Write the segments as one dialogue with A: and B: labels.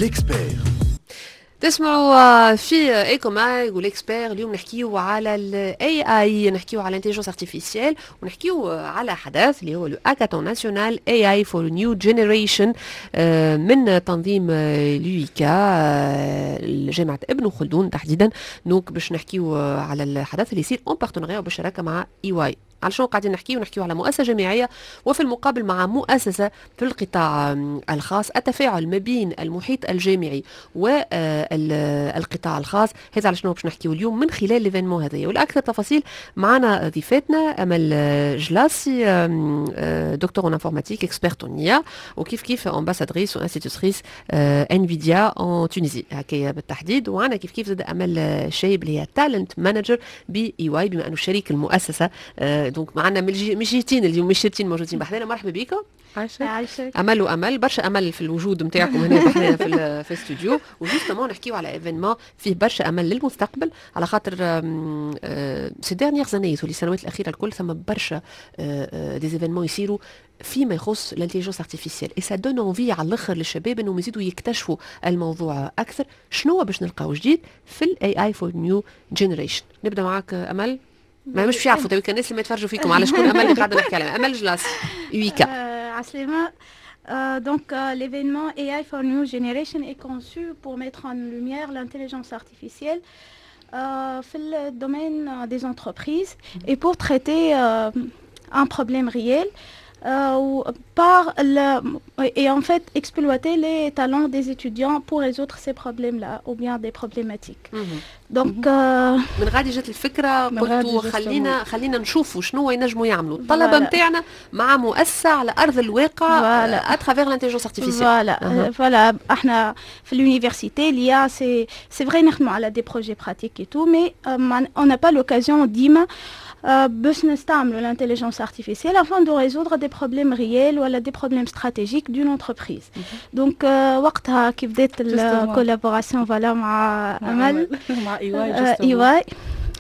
A: L'expert.
B: تسمعوا في EcoMag و l'expert. اليوم نحكيو على ال AI، نحكيو على l'intelligence artificielle، ونحكيو على حدث اللي هو le hackathon national AI for new generation من تنظيم l'UICA، جامعه ابن خلدون تحديدا. donc باش نحكيو على الحدث اللي يصير en partenariat، بالشراكة مع EY. على شنو قاعدين نحكيو؟ نحكيو على مؤسسة جامعية وفي المقابل مع مؤسسة في القطاع الخاص، التفاعل ما بين المحيط الجامعي والقطاع الخاص. هذا على شنو باش نحكيو اليوم من خلال l'événement هذايا. والاكثر تفاصيل معنا ضيفاتنا امل جلاسي، docteur en informatique، experte en IA، وكيف كيف ambassadrice و institutrice Nvidia en Tunisie هكايا بالتحديد. وعنا كيف كيف زاد امل شايب اللي هي talent manager ب EY، بما انه شريك المؤسسه. donc معنا من الجهتين اليوم، من الشرتين موجودين بحذانا. مرحبا بكم.
C: عايشك.
D: عايشك.
B: امل وامل، برشا امل في الوجود نتاعكم هنا بحذانا في الاستوديو. و justement نحكيو على événement فيه برشا امل للمستقبل، على خاطر ces dernières années والسنوات الاخيرة الكل ثم برشا des événements يصيروا فيما يخص l'intelligence artificielle et ça donne envie على الاخر للشباب انهم يزيدوا يكتشفوا الموضوع اكثر. شنو باش نلقاو جديد في ال AI for new generation؟ نبدا معاك امل. ما مش يعرفوا تو الناس اللي ما يتفرجوا فيكم على شكون امل اللي قاعدة نحكي عليها. امل جلاس، UICA.
D: عسلامة. Donc, l'événement AI for New Generation est conçu pour mettre en lumière l'intelligence artificielle في le domaine des entreprises et pour traiter un problème réel par le, et en fait exploiter les talents des étudiants pour résoudre ces problèmes-là ou bien des problématiques. Donc
B: من غادي جات الفكره؟
C: من غادي.
B: قلتوا خلينا نشوفوا شنو ينجموا يعملوا الطلبة نتاعنا مع مؤسسة على ارض الواقع à travers l'intelligence artificielle.
D: Voilà, voilà. احنا في l'université l'IA c'est vrai نخدموا على des projets pratiques et tout، mais on n'a pas l'occasion ديما باش نستعملوا l'intelligence artificielle afin de résoudre des problèmes réels ولا des problèmes stratégiques d'une entreprise. Donc وقتها كي بدات ال collaboration، voilà، مع امل
C: مع EY.
D: EY،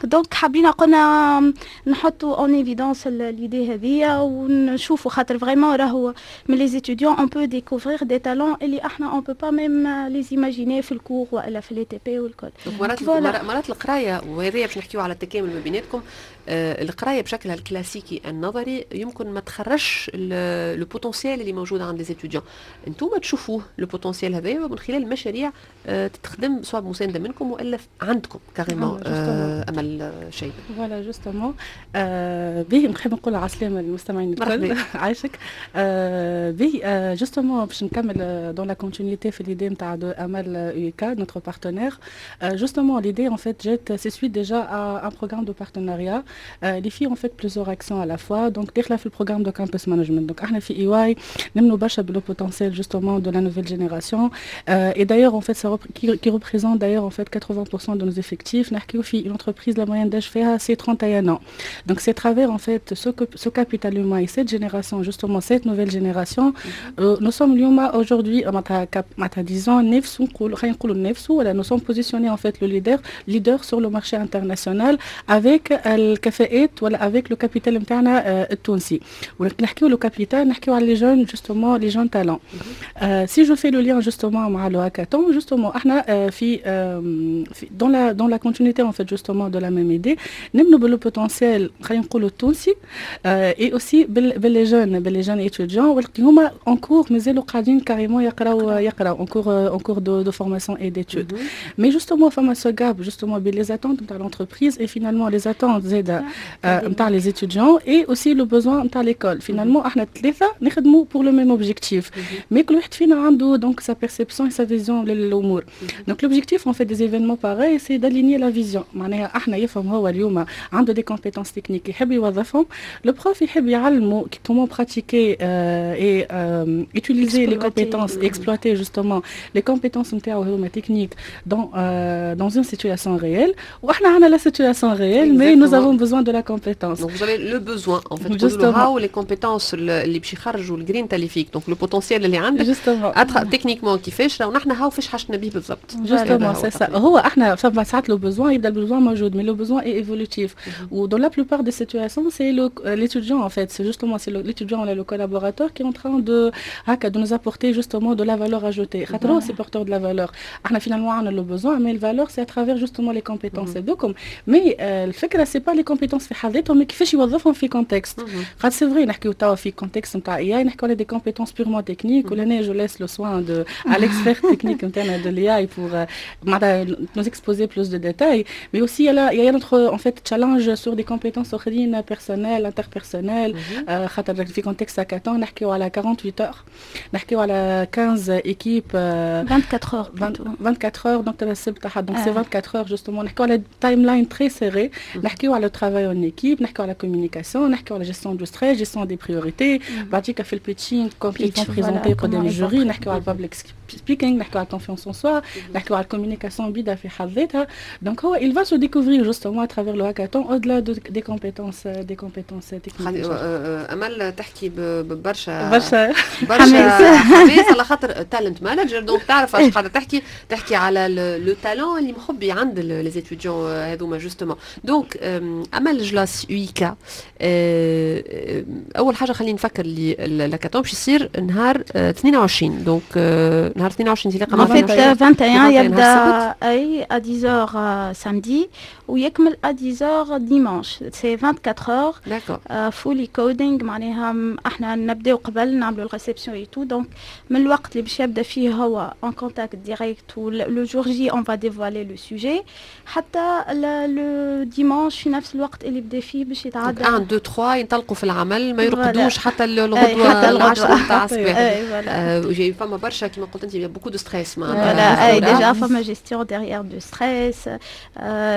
D: donc حبينا قلنا نحطوا en évidence l'idée هذيا ونشوفوا، خاطر vraiment راهو من les étudiants on peut découvrir des talents اللي احنا on peut pas même les imaginer في ال cours والا في les TP والكل.
B: مرات مرات القرايه، وهذايا باش نحكيو على التكامل ما بيناتكم، القراية بشكلها الكلاسيكي النظري يمكن ما تخرجش le potentiel اللي موجود عند les étudiants. انتم تشوفوه le potentiel هذايا من خلال مشاريع تتخدم سواء بمسانده منكم والا عندكم carrément. امل شيء.
C: voilà، justement به نحب نقول على السلامة للمستمعين الكل. عايشك. به justement باش نكمل dans la continuité في l'idée نتاع de امل، UICA notre partenaire. justement l'idée en fait جات c'est suite déjà à un programme de partenariat اللي فيه en fait plusieurs actions à la fois، donc داخله في ال programme de campus management. donc احنا في EY نمنوا برشا ب le potentiel justement de la nouvelle génération et d'ailleurs en fait ça qui représente d'ailleurs en fait 80% de nos effectifs. نحكيو في une entreprise، la moyenne d'âge فيها c'est 31 ans. donc c'est à travers en fait ce capital humain et cette génération، justement cette nouvelle génération، nous sommes اليوم aujourd'hui معناتها disons نفسو، نقولوا خلينا نقولوا نفسو ولا nous sommes positionnés en fait le leader sur le marché international avec الكفاءات ولا avec le capital نتاعنا التونسي. ونحكيو le capital، نحكيو على les jeunes، justement les jeunes talents. si je fais le lien justement مع le hackathon، justement احنا في dans la continuité en fait justement de la même idée، نمنوا ب le potentiel خلينا نقولوا التونسي et aussi بال les jeunes، بال les jeunes étudiants واللي هما en cours، مازالوا قاعدين carrément يقراو en cours de formation et d'études. mais justement فما ce gap justement بين les attentes نتاع l'entreprise et finalement les attentes زاده نتاع les étudiants et aussi le besoin نتاع l'école. finalement احنا ثلاثة نخدموا pour le même objectif، mais كل واحد فينا عنده donc sa perception et sa vision للامور. donc l'objectif en fait des événements pareils c'est d'aligner la vision. معناها احنا يفهم هو اليوم عنده des compétences techniques يحب يوظفهم، le prof يحب يعلمه comment pratiquer et utiliser les compétences، exploiter justement les compétences نتاعو هما techniques dans une situation réelle. واحنا عندنا la situation réelle، mais nous avons besoin de la compétence.
B: Donc vous avez le besoin en fait. Justement. هاو les compétences اللي باش يخرجوا الجرين اللي فيك، donc le potentiel اللي عندك techniquement كيفاش، ونحن هاو فاش حاجتنا به بالضبط.
C: justement c'est ça. هو احنا فما ساعات le besoin يبدا ال besoin موجود، mais le besoin est évolutif. و dans la plupart des situations, c'est l'étudiant en fait, c'est justement c'est l'étudiant ou le collaborateur qui est en train de هكا de nous apporter justement de la valeur ajoutée. خاطر c'est porteur de la valeur. احنا finalement on a le besoin, mais la valeur, c'est à travers justement les compétences هذوكم. Mais الفكرة c'est pas les compétences في حد ذاتهم, mais كيفاش يوظفهم في contexte. خاطر c'est vrai, نحكيو توا في contexte نتاع AI, نحكيو على des compétences purement techniques, ولهنا je laisse le soin de à l'expert technique نتاعنا de l'IA pour معناتها nous exposer plus de détails, mais aussi il y a notre en fait challenge sur des compétences اخرين, personnelles, interpersonnelles, خاطر في contexte hackathon نحكيو على 48 heures, نحكيو على 15 équipes.
D: 24 heures.
C: 24 heures, donc السبت donc c'est 24 heures justement. نحكيو على timeline très serrée, نحكيو على travail en équipe, نحكيو على communication, نحكيو على gestion du stress, gestion des priorités, بعديك في ال pitching quand ils vont présenter قدام ال jury, نحكيو على public speaking, نحكيو على confiance en soi, نحكيو على communication بيدا في حد ذاتها. donc هو il va se découvrir justement à travers le hackathon au-delà des compétences techniques.
B: امل تحكي ببرشا
C: برشا.
B: برشا حماس على خاطر talent manager, donc تعرف اش قاعدة تحكي, تحكي على le talent اللي مخبي عند les étudiants هذوما justement. donc امل جلاس UICA, اول حاجة خلينا نفكر اللي الهاكاثون باش يصير نهار 22, donc نهار 22
D: انطلاقا. En fait, 21 يبدا اي à 10h samedi ويكمل à 10h dimanche, c'est 24 heures. Fully coding, معناها احنا نبداو قبل نعملوا ال réception et tout, donc من الوقت اللي باش يبدا فيه هو en contact direct, le jour J on va dévoiler le sujet, حتى le dimanche في نفس الوقت اللي بدا فيه باش يتعدى.
B: 1 2 3 ينطلقوا في العمل, ما يرقدوش حتى الغدوه العشرة تاع الصباح. فما برشا, كيما قلت انت, beaucoup de stress.
D: معناتها اي, déjà فما gestion derrière de stress,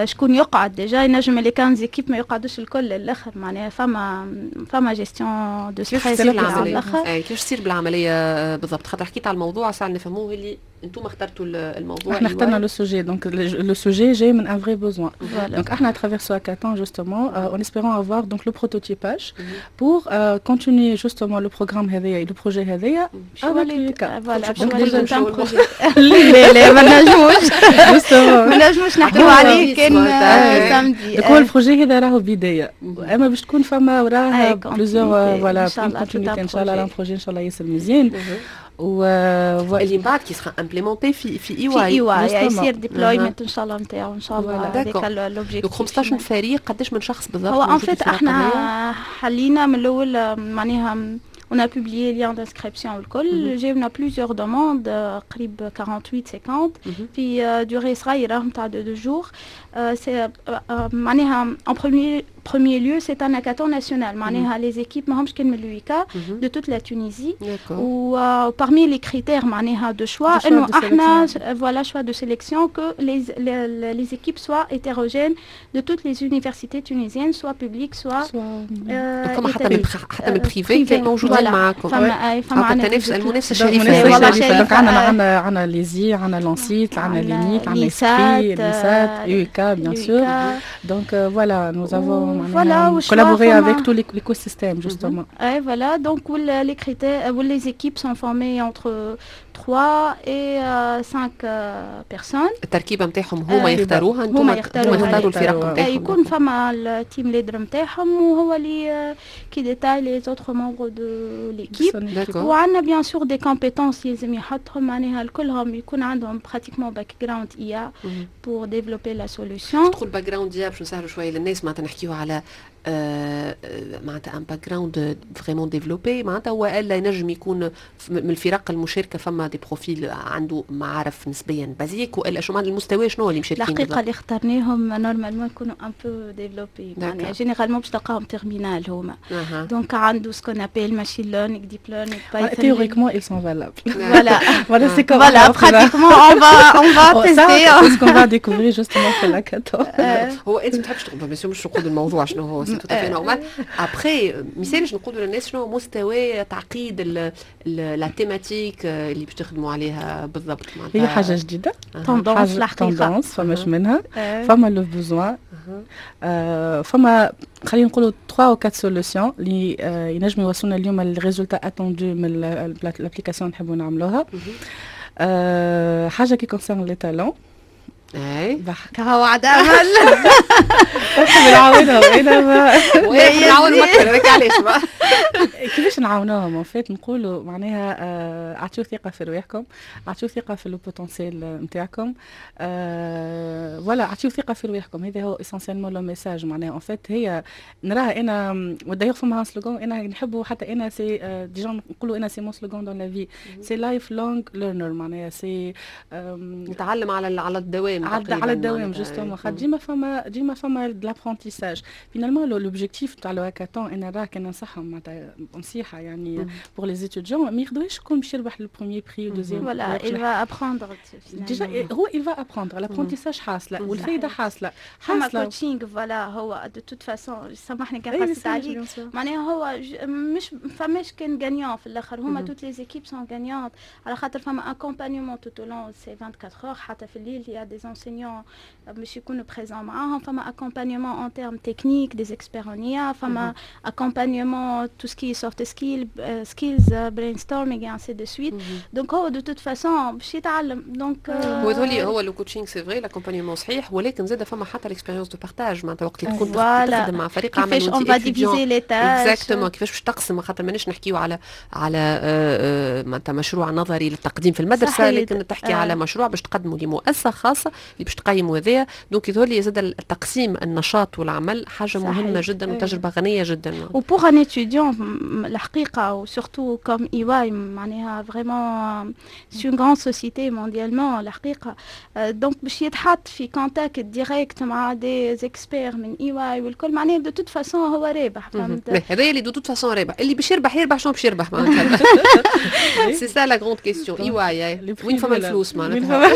D: شكون يقعد déjà, ينجم les 15 équipes ما يقعدوش الكل للاخر, معناها فما gestion de stress.
B: كيفاش تصير بالعملية بالضبط؟ خاطر حكيت على الموضوع, ساعة نفهموه اللي انتم اخترتوا الموضوع.
C: احنا اخترنا le sujet, donc le sujet جاي من un vrai besoin. Donc احنا à travers ce hackathon justement, en espérant avoir donc le prototypage pour continuer justement le programme هذايا, le projet هذايا
D: avec l'UICA. voilà, لا لا, ما نجموش ما نجموش نحكيو عليه كان
C: samedi. هو ال projet هذا راهو بدايه, اما باش تكون فما وراه plusieurs, voilà, continuité ان شاء الله, un projet ان شاء الله ياسر مزيان.
B: و اللي من بعد qui sera implémenté في EY.
D: في EY يصير déploiement ان شاء الله نتاعو ان شاء الله,
B: هذاك l'objectif. donc 15 فريق, قداش من شخص بالضبط؟
D: هو en fait احنا حلينا من الاول, معناها on a publié lien d'inscription والكل, جاونا plusieurs demandes, قريب 48 50 في durée صغيرة نتاع 2 jours. c'est معناها en premier lieu, c'est un hackathon national. معناها les équipes ماهمش كان من l'UICA, de toute la Tunisie. و parmi les critères معناها de choix انه احنا, voilà, choix de sélection, que les équipes soient hétérogènes de toutes les universités tunisiennes, soit publiques, soit
B: فما حتى من privé كان موجودين معاكم؟
D: فما
B: التنافس, المنافسة الشريفه.
C: donc عندنا l'ESI, عندنا l'ENSIT, عندنا l'ENIT, عندنا ESCRI, l'ISAT, UICA bien sûr. Donc voilà, nous avons
D: voilà,
C: collaboré avec tout l'écosystème justement.
D: Et voilà, donc les critères, les équipes sont formées entre 3 et 5 personnes.
B: التركيبة نتاعهم هما يختاروها؟ انتم هما يختاروا الفرق نتاعهم؟
D: يكون فما ال team leader نتاعهم وهو اللي qui détaille les autres membres de l'équipe. وعندنا bien sûr des compétences يلزم يحطهم, معناها كلهم يكون عندهم pratiquement background IA pour développer la solution.
B: تدخل background IA باش نسهلوا شوية للناس, معناتها نحكيو على معناتها un background vraiment développé معناتها, والا ينجم يكون من الفرق المشاركة فما des profils عنده معارف نسبيا basiques, والا شو معنى المستوى, شنو اللي مشاركين؟
D: الحقيقة اللي اخترناهم normalement يكونوا un peu développés, معناها généralement باش تلقاهم terminale هما, donc عنده ce qu'on appelle machine learning, deep learning,
C: Python. théoriquement ils sont valables.
D: voilà.
C: voilà, c'est comme
D: voilà, pratiquement on va tester.
C: c'est ce qu'on va découvrir justement في l'hackathon.
B: هو انت ما تحبش تقول, مش نقول الموضوع شنو هو, c'est tout à fait normal. après ميسالش نقولوا للناس شنو مستوى تعقيد la thématique اللي باش تخدموا عليها بالضبط؟
C: معناتها هي حاجة جديده.
D: tendance الحقيقه.
C: tendance, فماش منها, فما le besoin, فما خلينا نقولوا 3 ou 4 solutions اللي ينجموا يوصلونا اليوم ال résultat attendu من l'application نحبوا نعملوها. حاجة qui concerne les talents.
B: اي
D: كهو عاد امل
C: نعاونهم انا ما
B: نعاونهم اكثر، هذاك علاش.
C: كيفاش نعاونوهم؟ en fait نقولوا معناها اعطيو ثقة في رواحكم، اعطيو ثقة في le potentiel نتاعكم، voilà، اعطيو ثقة في رواحكم. هذا هو essentiellement le message. معناها en fait هي نراها انا، و d'ailleurs فما slogan انا نحبه، حتى انا c'est déjà نقولوا انا c'est mon slogan dans la vie، c'est lifelong learner. معناها c'est
B: نتعلم على الدوام.
C: على الدوام justement، خاطر ديما فما de l'apprentissage. finalement l'objectif تاع le hackathon، انا راه كان ننصحهم معناتها نصيحة يعني pour les étudiants، ما ياخذوهاش شكون باش يربح le premier prix و deuxième.
D: voilà، il va apprendre.
C: déjà هو il va apprendre، l'apprentissage حاصله والفايده حاصله.
D: حاصله coaching، voilà. هو de toute façon، سامحني كان قصيت عليك، معناها هو مش فماش كان gagnant في الاخر، هما toutes les équipes sont gagnantes على خاطر فما accompagnement tout au long ces 24 heures، حتى في الليل y a des enseignants باش يكونوا présents معاهم. فما accompagnement en termes techniques، des experts en IA، فما accompagnement tout ce qui est soft skills، brainstorming et ainsi de suite. donc هو de toute façon باش يتعلم donc
B: هو يظهر هو le coaching c'est vrai، l'accompagnement صحيح، ولكن زاد فما حتى l'expérience de partage، معناتها وقت اللي تكون تخدم مع فريق
D: عمل، كيفاش on va diviser les tâches.
B: exactement، كيفاش باش تقسم، خاطر مانيش نحكيو على معناتها مشروع نظري للتقديم في المدرسه، لكن تحكي على مشروع باش تقدمه لمؤسسة خاصة اللي باش تقيموا هذايا. donc يظهر لي زاد التقسيم النشاط والعمل حاجة مهمة جدا وتجربه غنية جدا.
D: و pour un étudiant الحقيقه، و surtout comme EY معناها vraiment c'est une grande société mondialement الحقيقه، donc باش يتحط في contact direct مع des experts من EY والكل، معناها de toute façon هو رابح.
B: فهمت؟ هذا اللي de toute façon رابح. اللي باش يربح يربح، شنو باش يربح معناتها؟ c'est ça la grande question. EY وين فما الفلوس معناتها؟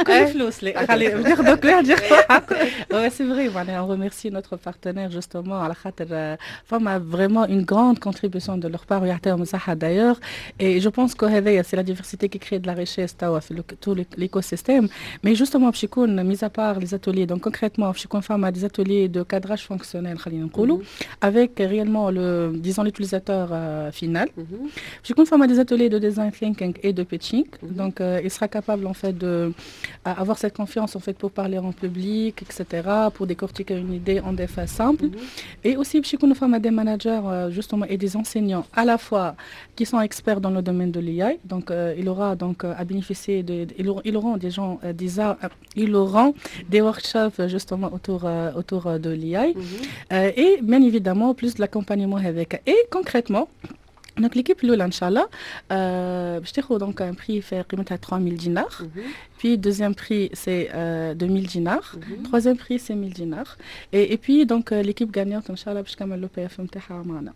C: كل الفلوس لا خلي ناخذ كل واحد ياخذ حقه. c'est vrai، معناها on remercie notre partenaire justement على خاطر فما vraiment une grande contribution de leur part، ويعطيهم الصحة d'ailleurs. et je pense que هذايا c'est la diversité qui crée de la richesse توا في tout l'écosystème. mais justement باش يكون mis à part les ateliers، donc concrètement باش يكون فما des ateliers de cadrage fonctionnel خلينا نقولوا avec réellement le disons l'utilisateur final. باش يكون فما des ateliers de design thinking et de pitching، donc il sera capable en fait de avoir cette confiance en fait pour parler en public etc، pour décortiquer une idée en des phases simples. Et aussi باش يكونوا فما des managers justement et des enseignants à la fois qui sont experts dans le domaine de l'IA، donc il aura donc à bénéficier de ils auront des gens des ils auront des workshops justement autour de l'IA et bien évidemment plus de l'accompagnement avec. et concrètement donc l'équipe الاولى ان شاء الله باش تاخذ donc un prix في قيمتها 3000 دينار، puis deuxième prix c'est 2000 dinars، troisième prix c'est 1000 dinars، et puis donc l'équipe gagnante ان شاء الله باش تكمل le PFE نتاعها معنا.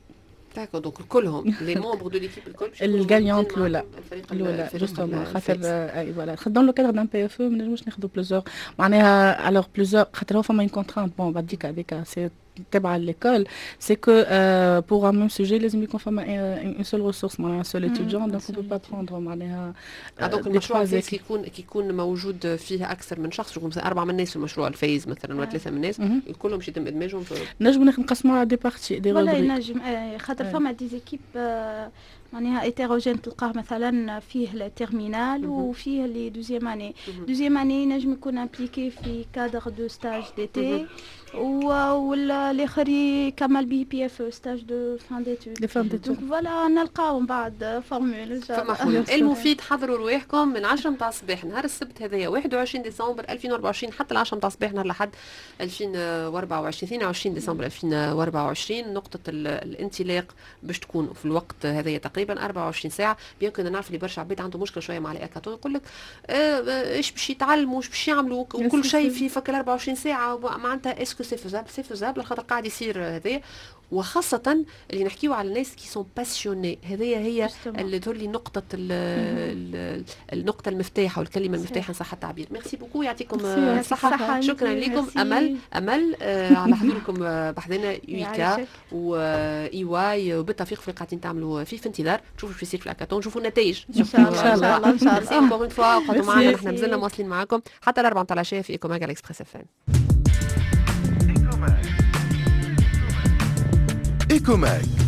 B: d'accord، donc كلهم les membres de l'équipe الكل؟
C: ال gagnante الاولى الاولى justement، خاطر اي voilà، dans le cadre d'un PFE ما نجموش ناخذوا plusieurs معناها alors plusieurs، خاطر هو فما une contrainte، bon بعديك هذيك c'est تبع l'école، c'est que pour un même sujet لازم يكون فما une seule ressource، معناها un seul étudiant، donc on peut pas prendre معناها.
B: donc المشروع الفايز كي يكون موجود فيه اكثر من شخص، يكون مثلا اربعة من الناس في المشروع الفايز مثلا ولا ثلاثة من الناس، كلهم باش يتم ادماجهم في
C: نجم نقسموها على des parties des
D: ولا ينجم، خاطر فما des équipes معناها hétérogènes، تلقاه مثلا فيه ال terminale وفيه les deuxième année. deuxième année ينجم يكون impliqué في cadre de stage d'été، والاخر يكمل بي PFE stage de fin d'études.
C: de fin d'études.
D: donc voilà، نلقاو من بعد formule.
B: فما حلول. المفيد حضروا رواحكم من 10 متاع الصباح نهار السبت هذايا 21 ديسمبر 2024 حتى ال 10 متاع الصباح نهار الاحد 2024 22 ديسمبر 2024. نقطة الانطلاق باش تكون في الوقت هذايا تقريبا 24 ساعة. bien que نعرف اللي برشا عباد عنده مشكلة شوية مع الهاكاثون، يقول لك ايش باش يتعلموا، ايش باش يعملوا، وكل شيء في فك 24 ساعة، معناتها est-ce que c'est faisable؟ c'est faisable خاطر قاعد يصير هذايا، وخاصة اللي نحكيو على الناس qui sont passionnés. هذه هي اللي تولي نقطة النقطة المفتاح أو الكلمة المفتاح إن صح التعبير. merci beaucoup، يعطيكم الصحة. شكرا لكم أمل أمل على حضوركم بحذنا UICA و EY، وبالتوفيق في اللي قاعدين تعملوا فيه. في انتظار تشوفوا شو يصير في الهاكاثون، نشوفوا النتائج.
D: ان شاء الله، ان شاء
B: الله. encore une fois قعدوا معنا، نحن مازلنا مواصلين معاكم حتى الأربعة متاع العشية في Ecomag على Express FM.
A: Ecomag.